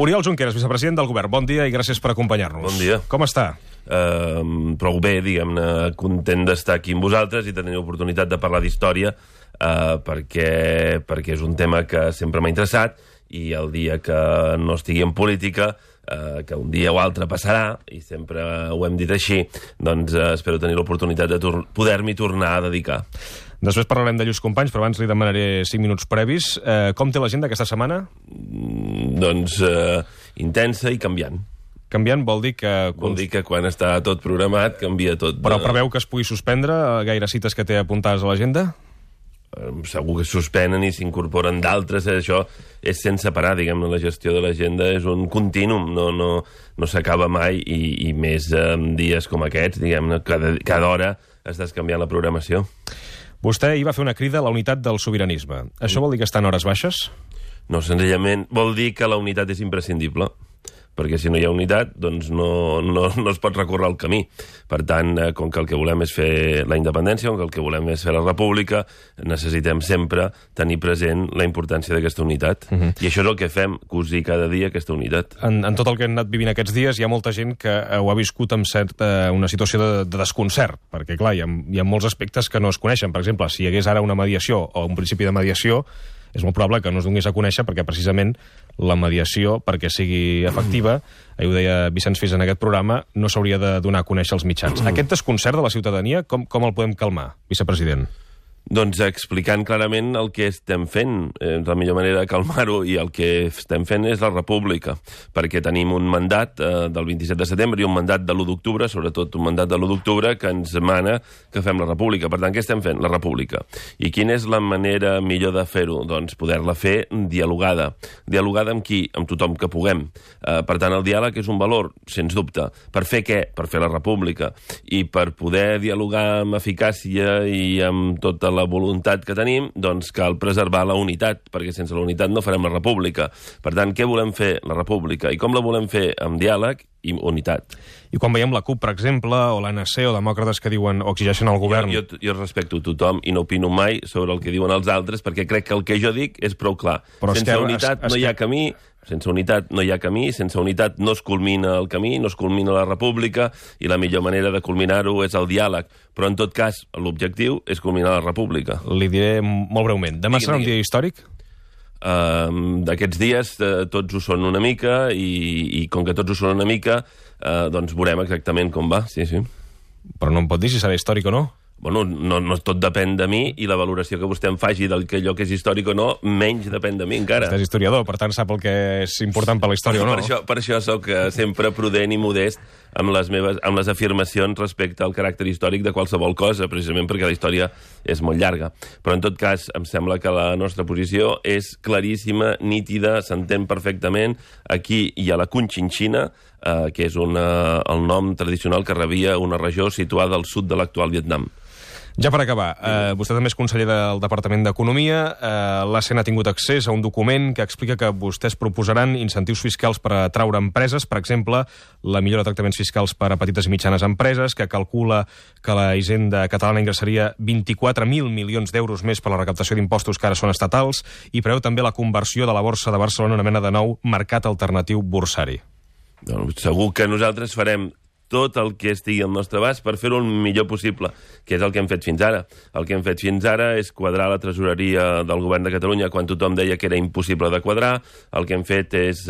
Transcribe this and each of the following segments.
Oriol Junqueras, vicepresident del Govern. Bon dia i gràcies per acompanyar-nos. Bon dia. Com està? Prou bé, diguem-ne, content d'estar aquí amb vosaltres i tenir l'oportunitat de parlar d'història perquè és un tema que sempre m'ha interessat i el dia que no estigui en política, que un dia o altre passarà, i sempre ho hem dit així, doncs espero tenir l'oportunitat de poder-m'hi tornar a dedicar. Després parlarem de lluís companys, però abans li demanaré 5 minuts previs. Com té l'agenda aquesta setmana? Doncs intensa i canviant. Canviant vol dir que... Vol dir que quan està tot programat canvia tot. Però preveu que es pugui suspendre gaire cites que té apuntades a l'agenda? Segur que es suspenen i s'incorporen d'altres. Això és sense parar, diguem-ne, la gestió de l'agenda és un contínuum, no s'acaba mai, i més en dies com aquests, diguem-ne, cada hora estàs canviant la programació. Vostè hi va fer una crida a la unitat del sobiranisme. Això vol dir que està en hores baixes? No, senzillament vol dir que la unitat és imprescindible, perquè si no hi ha unitat, doncs no es pot recórrer el camí. Per tant, com que el que volem és fer la independència, com que el que volem és fer la república, necessitem sempre tenir present la importància d'aquesta unitat. I això és el que fem, cosir cada dia aquesta unitat. En tot el que hem anat vivint aquests dies, hi ha molta gent que ho ha viscut amb una situació de desconcert, perquè, clar, hi ha molts aspectes que no es coneixen. Per exemple, si hi hagués ara una mediació o un principi de mediació, és molt probable que no es donés a conèixer perquè precisament la mediació, perquè sigui efectiva, ho deia Vicenç Fis en aquest programa, no s'hauria de donar a conèixer als mitjans. Aquest desconcert de la ciutadania, com el podem calmar, vicepresident? Doncs explicant clarament el que estem fent. La millor manera de calmar-ho i el que estem fent és la república, perquè tenim un mandat del 27 de setembre i un mandat de l'1 d'octubre, sobretot un mandat de l'1 d'octubre, que ens mana que fem la república. Per tant, què estem fent? La república. I quina és la manera millor de fer-ho? Doncs poder-la fer dialogada. Dialogada amb qui? Amb tothom que puguem. Per tant, el diàleg és un valor, sens dubte. Per fer què? Per fer la república. I per poder dialogar amb eficàcia i amb tota la voluntat que tenim, doncs cal preservar la unitat, perquè sense la unitat no farem la república. Per tant, què volem fer? La república. I com la volem fer? Amb diàleg i unitat. I quan veiem la CUP, per exemple, o l'ANC, o demòcrates que diuen o exigeixen al govern... Jo respecto tothom i no opino mai sobre el que diuen els altres, perquè crec que el que jo dic és prou clar. Però sense unitat no hi ha camí, sense unitat no hi ha camí, sense unitat no es culmina el camí, no es culmina la república, i la millor manera de culminar-ho és el diàleg. Però, en tot cas, l'objectiu és culminar la república. Li diré molt breument. Demà serà un dia històric? D'aquests dies tots ho són una mica, i com que tots ho són una mica, doncs veurem exactament com va. Sí. Però no em pot dir si serà històric o no? Bueno, no tot depèn de mi, i la valoració que vostè em faci del que allò que és històric o no, menys depèn de mi encara. Vostè és historiador, per tant sap el que és important per la història o no. Per això soc sempre prudent i modest amb les afirmacions respecte al caràcter històric de qualsevol cosa, precisament perquè la història és molt llarga. Però en tot cas, em sembla que la nostra posició és claríssima, nítida, s'entén perfectament. Aquí hi ha la Conchinchina, que és el nom tradicional que rebia una regió situada al sud de l'actual Vietnam. Ja per acabar, vostè també és conseller del Departament d'Economia. L'ACN ha tingut accés a un document que explica que vostès proposaran incentius fiscals per atraure empreses, per exemple, la millora de tractaments fiscals per a petites i mitjanes empreses, que calcula que la Hisenda catalana ingressaria 24.000 milions d'euros més per la recaptació d'impostos que ara són estatals, i preveu també la conversió de la Borsa de Barcelona en una mena de nou mercat alternatiu borsari. Segur que nosaltres farem tot el que estigui al nostre abast per fer-ho el millor possible, que és el que hem fet fins ara. El que hem fet fins ara és quadrar la tresoreria del govern de Catalunya quan tothom deia que era impossible de quadrar. El que hem fet és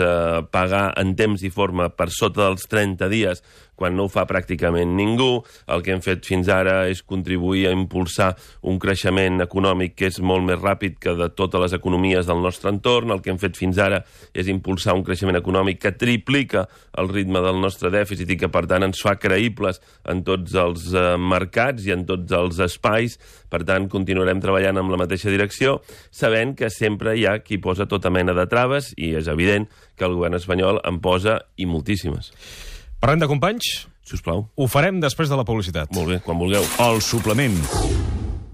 pagar en temps i forma per sota dels 30 dies, quan no ho fa pràcticament ningú. El que hem fet fins ara és contribuir a impulsar un creixement econòmic que és molt més ràpid que de totes les economies del nostre entorn. El que hem fet fins ara és impulsar un creixement econòmic que triplica el ritme del nostre dèficit i que, per tant, ens fa creïbles en tots els mercats i en tots els espais. Per tant, continuarem treballant amb la mateixa direcció, sabent que sempre hi ha qui posa tota mena de traves, i és evident que el govern espanyol en posa, i moltíssimes. Parlem de companys? Sisplau. Ho farem després de la publicitat. Molt bé, quan vulgueu. El suplement.